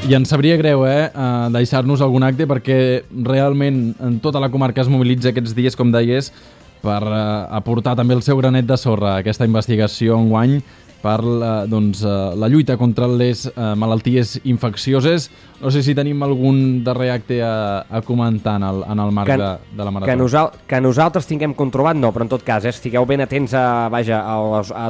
B: I ens sabria greu deixar-nos algun acte perquè realment en tota la comarca es mobilitza aquests dies, com deies, per aportar també el seu granet de sorra a aquesta investigació enguany per la lluita contra les malalties infeccioses. No sé si tenim algun darrer acte a comentar en el marc de la Marató.
C: Que nosaltres tinguem controlat, no, però en tot cas, estigueu ben atents a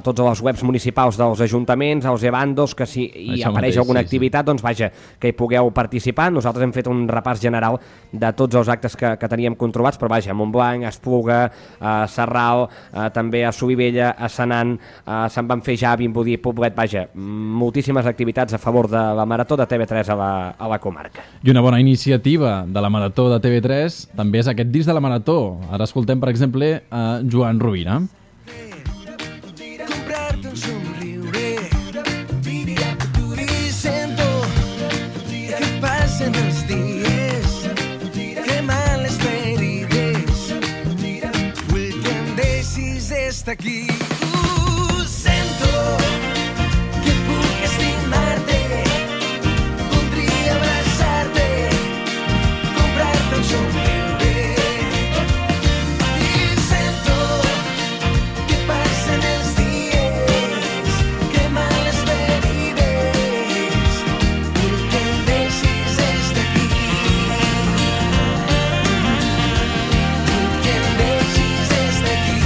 C: tots els webs municipals dels ajuntaments, als ebandos, que si hi apareix alguna activitat, doncs vaja, que hi pugueu participar. Nosaltres hem fet un repàs general de tots els actes que teníem controlats, però vaja, a Montblanc, a Espluga, a Sarral, també a Solivella, a Senan, se'n van fer ja Vimbodí, Poblet, vaja, moltíssimes activitats a favor de la Marató de TV3 a la comarca.
B: I una bona iniciativa de la Marató de TV3 també és aquest disc de la Marató. Ara escoltem, per exemple, a Joan Rovira.
H: Comprar-te un somriure i sento que passen els dies, que mal les ferides, vull que em deixis estar aquí. Sento que puc estimar-te, voldria abraçar-te, comprar-te un somriure. I sento que passen els dies, que mal les ferides, vull que em deixis estar aquí. Vull que em deixis estar aquí.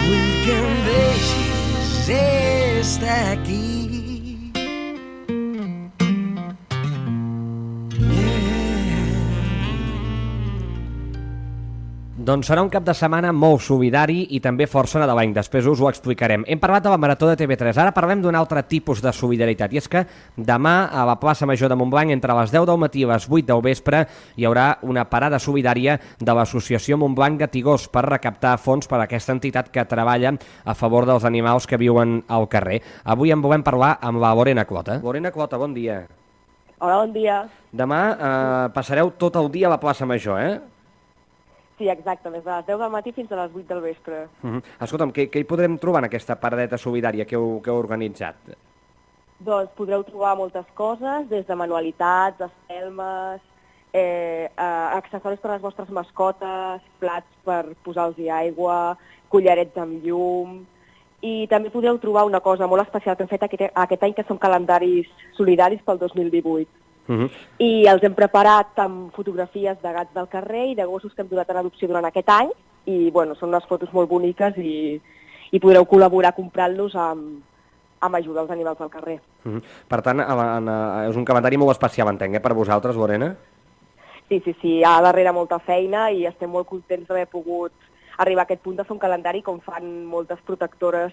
H: Vull que em deixis estar aquí.
C: Doncs serà un cap de setmana molt solidari i també força nadalenc. Després us ho explicarem. Hem parlat de la Marató de TV3. Ara parlem d'un altre tipus de solidaritat. I és que demà a la plaça Major de Montblanc, entre les 10 del matí i les 8 del vespre, hi haurà una parada solidària de l'associació Montblanc Gatigós per recaptar fons per a aquesta entitat que treballa a favor dels animals que viuen al carrer. Avui en volem parlar amb la Lorena Clota. Lorena Clota, bon dia.
I: Hola, bon dia.
C: Demà passareu tot el dia a la plaça Major, eh?
I: Sí, exacte, des de les 10 del matí fins a les 8 del vespre.
C: Escolta'm, què hi podrem trobar en aquesta paradeta solidària que heu organitzat?
I: Doncs podreu trobar moltes coses, des de manualitats, espelmes, accessoris per a les vostres mascotes, plats per posar-los aigua, collarets amb llum. I també podreu trobar una cosa molt especial que hem fet aquest any, que són calendaris solidaris pel 2018. I els hem preparat amb fotografies de gats del carrer i de gossos que hem donat en adopció durant aquest any. I bueno, són unes fotos molt boniques i podreu col·laborar comprant-los amb ajuda als animals del carrer.
C: Per tant, és un calendari molt especial, entenc, per vosaltres, Lorena?
I: Sí, hi ha darrere molta feina i estem molt contents d'haver pogut arribar a aquest punt de fer un calendari com fan moltes protectores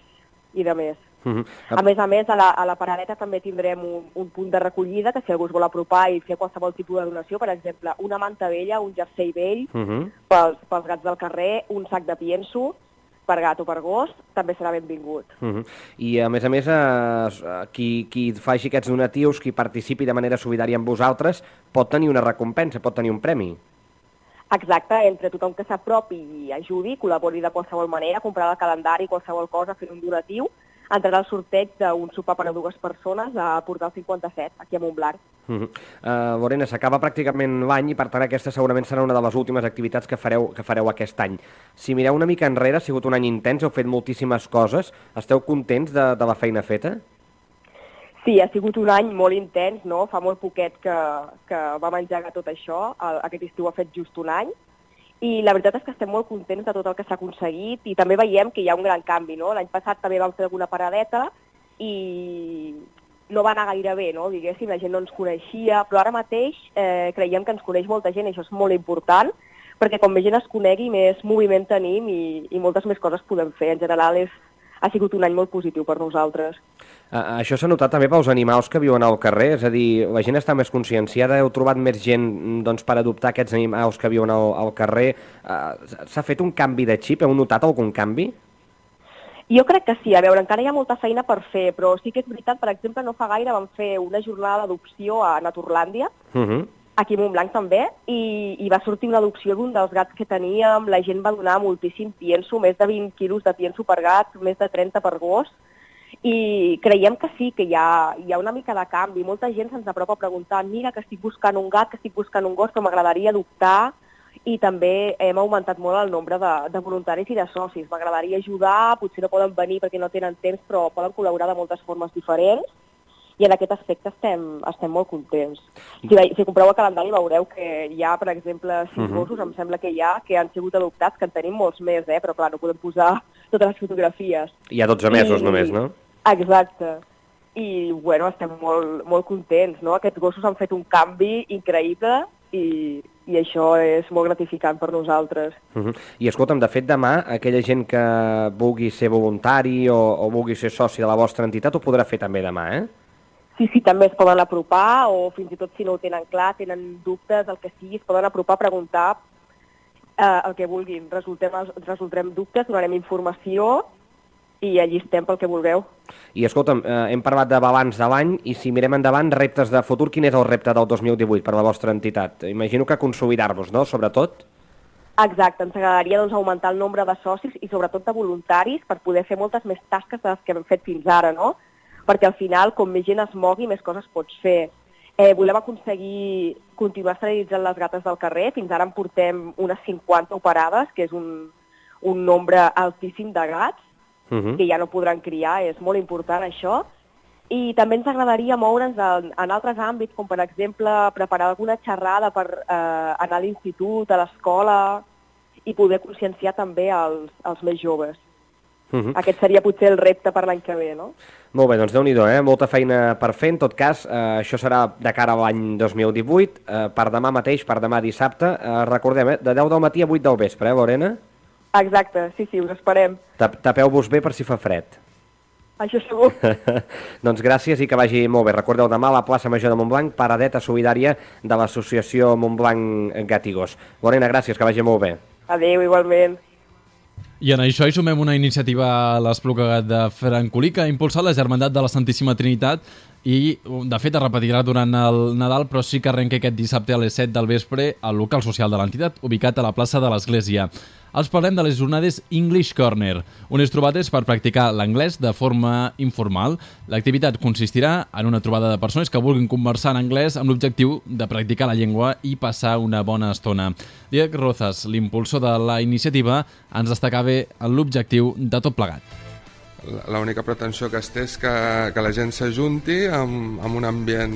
I: i de més. A més, a la paradeta també tindrem un punt de recollida que si algú es vol apropar i fer qualsevol tipus de donació, per exemple, una manta vella, un jersei vell, pels gats del carrer, un sac de pienso, per gat o per gos, també serà benvingut.
C: I a més, qui faci aquests donatius, qui participi de manera solidària amb vosaltres, pot tenir una recompensa, pot tenir un premi.
I: Exacte, entre tothom que s'apropi i ajudi, col·labori de qualsevol manera, comprar el calendari, qualsevol cosa, fent un donatiu, entrarà al sorteig d'un sopar per a 2 persones a Portal 57, aquí a Montblanc.
C: Lorena, s'acaba pràcticament l'any i per tant aquesta segurament serà una de les últimes activitats que fareu aquest any. Si mireu una mica enrere, ha sigut un any intens, heu fet moltíssimes coses, esteu contents de la feina feta?
I: Sí, ha sigut un any molt intens, no? Fa molt poquet que vam engegar tot això, aquest estiu ha fet just un any, i la veritat és que estem molt contents de tot el que s'ha aconseguit i també veiem que hi ha un gran canvi, no? L'any passat també vam fer alguna paradeta i no va anar gaire bé, no? Diguéssim, la gent no ens coneixia, però ara mateix creiem que ens coneix molta gent i això és molt important, perquè com més gent es conegui, més moviment tenim i moltes més coses podem fer. En general ha sigut un any molt positiu per nosaltres.
C: Això s'ha notat també pels animals que viuen al carrer, és a dir, la gent està més conscienciada, heu trobat més gent per adoptar aquests animals que viuen al carrer. S'ha fet un canvi de xip? Heu notat algun canvi?
I: Jo crec que sí, a veure, encara hi ha molta feina per fer, però sí que és veritat, per exemple, no fa gaire vam fer una jornada d'adopció a Naturlàndia, aquí a Montblanc també, i va sortir una adopció d'un dels gats que teníem, la gent va donar moltíssim pienso, més de 20 quilos de pienso per gat, més de 30 per gos, i creiem que sí, que hi ha una mica de canvi. Molta gent se'ns apropa a preguntar, mira, que estic buscant un gat, que estic buscant un gos, però m'agradaria adoptar, i també hem augmentat molt el nombre de voluntaris i de socis. M'agradaria ajudar, potser no poden venir perquè no tenen temps, però poden col·laborar de moltes formes diferents, i en aquest aspecte estem molt contents. Si compreu el calendari veureu que hi ha, per exemple, 6 gossos, em sembla que hi ha, que han sigut adoptats, que en tenim molts més, però clar, no podem posar totes les fotografies.
C: Hi ha 12 mesos només, no?
I: Exacte. I, bueno, estem molt contents, no? Aquests gossos han fet un canvi increïble i això és molt gratificant per nosaltres.
C: I escolta'm, de fet, demà, aquella gent que vulgui ser voluntari o vulgui ser soci de la vostra entitat ho podrà fer també demà,
I: Sí, també es poden apropar, o fins i tot si no ho tenen clar, tenen dubtes, el que sigui, es poden apropar a preguntar el que vulguin. Resoldrem dubtes, donarem informació i allí estem pel que vulgueu.
C: I escolta'm, hem parlat de balanç de l'any i si mirem endavant, reptes de futur, quin és el repte del 2018 per a la vostra entitat? Imagino que consolidar-vos, no?, sobretot?
I: Exacte, ens agradaria augmentar el nombre de socis i sobretot de voluntaris per poder fer moltes més tasques de les que hem fet fins ara, no? Perquè al final, com més gent es mogui, més coses pots fer. Volem aconseguir continuar esterilitzant les gates del carrer, fins ara en portem unes 50 operades, que és un nombre altíssim de gats, que ja no podran criar, és molt important això. I també ens agradaria moure'ns en altres àmbits, com per exemple preparar alguna xerrada per anar a l'institut, a l'escola, i poder conscienciar també els més joves. Aquest seria potser el repte per l'any que ve, no?
C: Molt bé, doncs Déu-n'hi-do, molta feina per fer. En tot cas, això serà de cara a l'any 2018, per demà mateix, per demà dissabte. Recordem, de 10 del matí a 8 del vespre, Lorena?
I: Exacte, sí, us esperem.
C: Tapeu-vos bé per si fa fred.
I: Això segur.
C: Doncs gràcies i que vagi molt bé. Recordeu, demà a la plaça Major de Montblanc, paradeta solidària de l'associació Montblanc Gat i Gos. Lorena, gràcies, que vagi molt bé.
I: Adéu, igualment.
B: I en això hi sumem una iniciativa a l'Espluga de Francolí que ha impulsat la Germandat de la Santíssima Trinitat i, de fet, es repetirà durant el Nadal, però sí que arrenca aquest dissabte a les 7 del vespre al local social de l'entitat, ubicat a la plaça de l'Església. Els parlem de les jornades English Corner, unes trobades per practicar l'anglès de forma informal. L'activitat consistirà en una trobada de persones que vulguin conversar en anglès amb l'objectiu de practicar la llengua i passar una bona estona. Diego Rozas, l'impulsor de la iniciativa, ens destacava l'objectiu de tot plegat.
J: L'única pretensió que es té és que la gent s'ajunti amb un ambient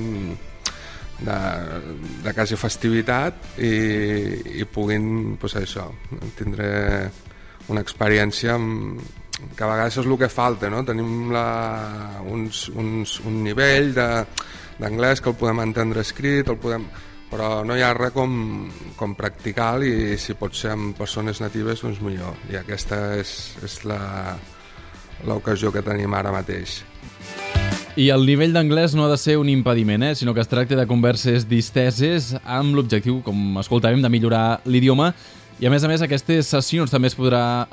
J: de quasi festivitat i puguin, doncs això, tindre una experiència que a vegades és el que falta, no? Tenim un nivell d'anglès que el podem entendre escrit, però no hi ha res com practicar i si pot ser amb persones natives, doncs millor. I aquesta és l'ocasió que tenim ara mateix.
B: I el nivell d'anglès no ha de ser un impediment, sinó que es tracta de converses disteses amb l'objectiu, com escoltàvem, de millorar l'idioma. I a més, aquestes sessions també es podrà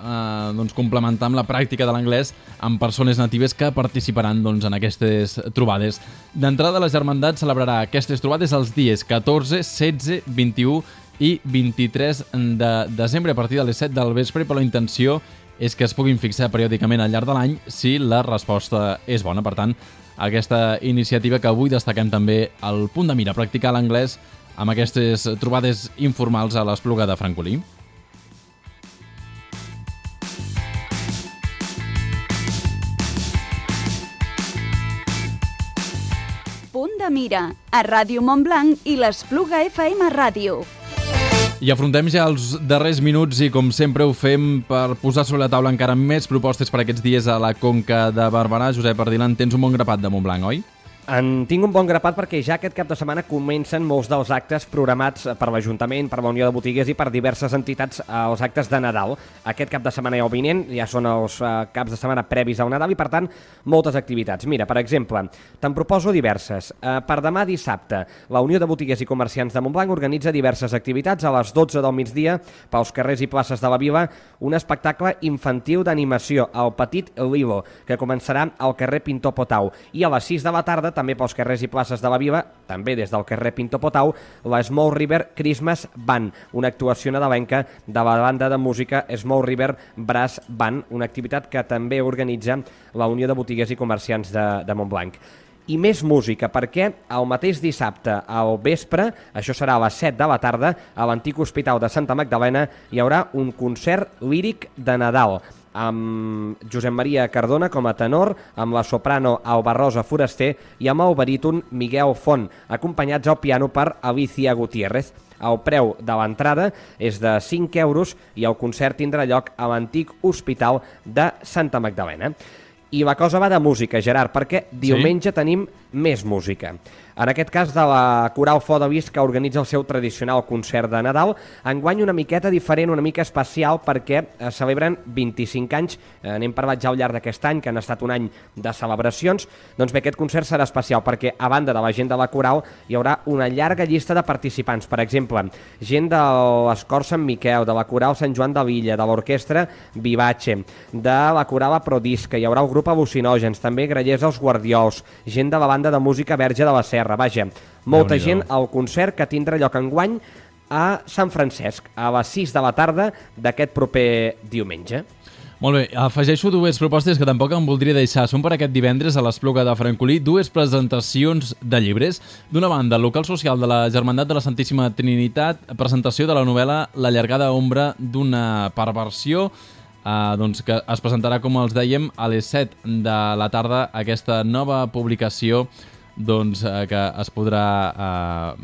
B: complementar amb la pràctica de l'anglès amb persones natives que participaran en aquestes trobades. D'entrada, la Germandat celebrarà aquestes trobades els dies 14, 16, 21 i 23 de desembre a partir de les 7 del vespre, però la intenció és que es puguin fixar periòdicament al llarg de l'any si la resposta és bona. Per tant, aquesta iniciativa que avui destaquem també al Punt de Mira, practicar l'anglès amb aquestes trobades informals a l'Espluga de Francolí.
A: Punt de Mira, a Ràdio Montblanc i l'Espluga FM Ràdio.
B: I afrontem ja els darrers minuts i, com sempre, ho fem per posar sobre la taula encara més propostes per aquests dies a la Conca de Barberà. Josep Ardilan, tens un bon grapat de Montblanc, oi?
C: En tinc un bon grapat perquè ja aquest cap de setmana comencen molts dels actes programats per l'Ajuntament, per la Unió de Botiguers i per diverses entitats als actes de Nadal. Aquest cap de setmana i el vinent ja són els caps de setmana previs al Nadal i, per tant, moltes activitats. Mira, per exemple, te'n proposo diverses. Per demà dissabte, la Unió de Botiguers i Comerciants de Montblanc organitza diverses activitats a les 12 del migdia pels carrers i places de la vila, un espectacle infantil d'animació, el Petit Lilo, que començarà al carrer Pintor Potau. I a les 6 de la tarda, també pels carrers i places de la vila, també des del carrer Pintor Potau, la Small River Christmas Band, una actuació nadalenca de la banda de música Small River Brass Band, una activitat que també organitza la Unió de Botiguers i Comerciants de Montblanc. I més música, perquè el mateix dissabte al vespre, això serà a les 7 de la tarda, a l'antic Hospital de Santa Magdalena hi haurà un concert líric de Nadal, amb Josep Maria Cardona com a tenor, amb la soprano Alba Rosa Foraster i amb el baríton Miguel Font, acompanyats al piano per Alicia Gutiérrez. El preu de l'entrada és de 5 euros i el concert tindrà lloc a l'antic Hospital de Santa Magdalena. I la cosa va de música, Gerard, perquè diumenge tenim més música. En aquest cas de la Coral Flor de Lis, que organitza el seu tradicional concert de Nadal, enguany una miqueta diferent, una mica especial, perquè celebren 25 anys, n'hem parlat ja al llarg d'aquest any, que han estat un any de celebracions. Doncs bé, aquest concert serà especial perquè, a banda de la gent de la Coral, hi haurà una llarga llista de participants. Per exemple, gent de l'Escor Sant Miquel, de la Coral Sant Joan de l'Illa, de l'Orquestra Vivace, de la Coral Aprodisca, hi haurà el grup Al·lucinògens, també Grallers els Guardiols, gent de la banda de música Verge de la Serra, vaja, molta gent al concert que tindrà lloc enguany a Sant Francesc, a les 6 de la tarda d'aquest proper diumenge.
B: Molt bé, afegeixo dues propostes que tampoc em voldria deixar. Són per aquest divendres a l'Espluga de Francolí dues presentacions de llibres. D'una banda, el local social de la Germandat de la Santíssima Trinitat, presentació de la novel·la La llargada ombra d'una perversió, que es presentarà, com els dèiem, a les 7 de la tarda, aquesta nova publicació que es podrà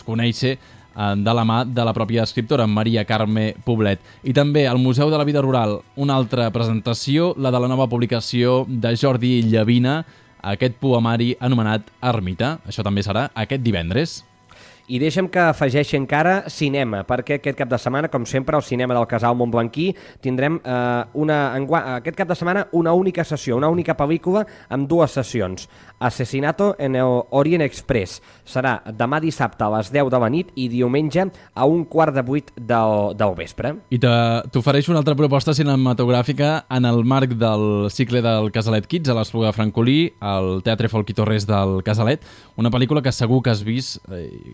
B: conèixer de la mà de la pròpia escriptora, Maria Carme Poblet. I també al Museu de la Vida Rural, una altra presentació, la de la nova publicació de Jordi Llavina, aquest poemari anomenat Ermita. Això també serà aquest divendres.
C: I deixa'm que afegeixi encara cinema, perquè aquest cap de setmana, com sempre, al cinema del Casal Montblanquí tindrem aquest cap de setmana una única sessió, una única pel·lícula amb dues sessions. Asesinato en el Orient Express. Serà demà dissabte a les 10 de la nit i diumenge a 7:15 del vespre.
B: I t'ofereixo una altra proposta cinematogràfica en el marc del cicle del Casalet Kids a l'Espluga de Francolí, al Teatre Folk i Torres del Casalet. Una pel·lícula que segur que has vist,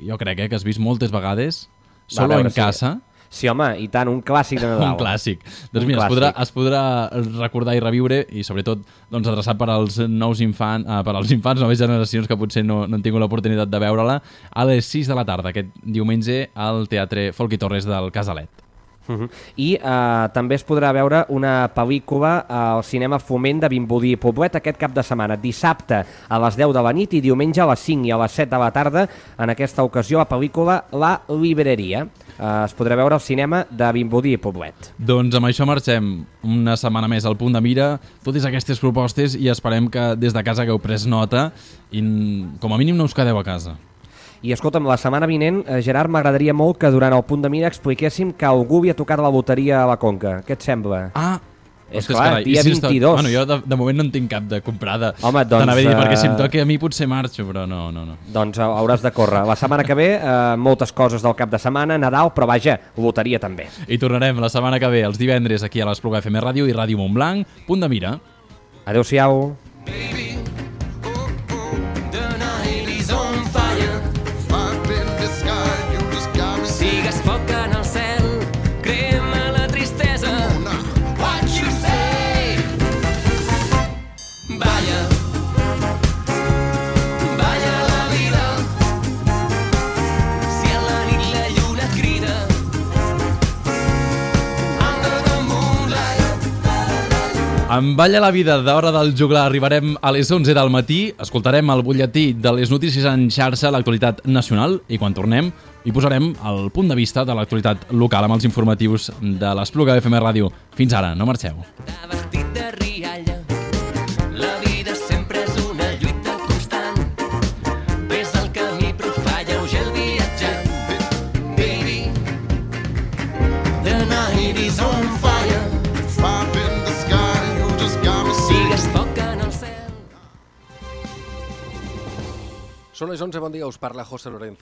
B: jo crec que has vist moltes vegades, Solo en casa.
C: Sí, home, i tant, un clàssic de Nadal.
B: Un clàssic. Doncs mira, es podrà recordar i reviure i sobretot adreçat per als nous infants, per als infants, noves generacions que potser no han tingut l'oportunitat de veure-la, a les 6 de la tarda, aquest diumenge, al Teatre Folk i Torres del Casalet.
C: I també es podrà veure una pel·lícula al cinema Foment de Vimbodí i Poblet aquest cap de setmana, dissabte a les 10 de la nit i diumenge a les 5 i a les 7 de la tarda, en aquesta ocasió la pel·lícula La Libreria. Es podrà veure al cinema de Vimbodí i Poblet.
B: Doncs amb això marxem una setmana més al Punt de Mira, totes aquestes propostes, i esperem que des de casa hagueu pres nota i com a mínim no us quedeu a casa.
C: I escolta'm, la setmana vinent, Gerard, m'agradaria molt que durant el Punt de Mira expliquéssim que algú havia tocat la loteria a la Conca. Què et sembla? És
B: Ostres,
C: clar,
B: carai,
C: dia
B: i si
C: 22.
B: Bueno, jo de moment no en tinc cap de comprada.
C: Home, doncs,
B: t'anava a dir, perquè si em toca a mi potser marxo, però no.
C: Doncs hauràs de córrer. La setmana que ve, moltes coses del cap de setmana, Nadal, però vaja, loteria també.
B: I tornarem la setmana que ve, els divendres, aquí a l'Espluga FM Ràdio i Ràdio Montblanc. Punt de mira.
C: Adéu-siau.
H: Sigues foc en el cel, crema la tristesa. What you say? Balla, balla la vida. Si a la nit la lluna crida, under the moonlight.
B: En Balla la vida d'Hora del Juglar arribarem a les 11 del matí, escoltarem el butlletí de les notícies en xarxa, l'actualitat nacional, i quan tornem hi posarem el punt de vista de l'actualitat local amb els informatius de l'Espluga FM Ràdio. Fins ara, no marxeu.
H: Vestit de rialla, la vida sempre és una lluita constant. Ves al camí però fa lleuger el viatjant. Baby, the night is on fire. Sigues foc en el cel.
K: Són les 11, bon dia, us parla José Lorenzo.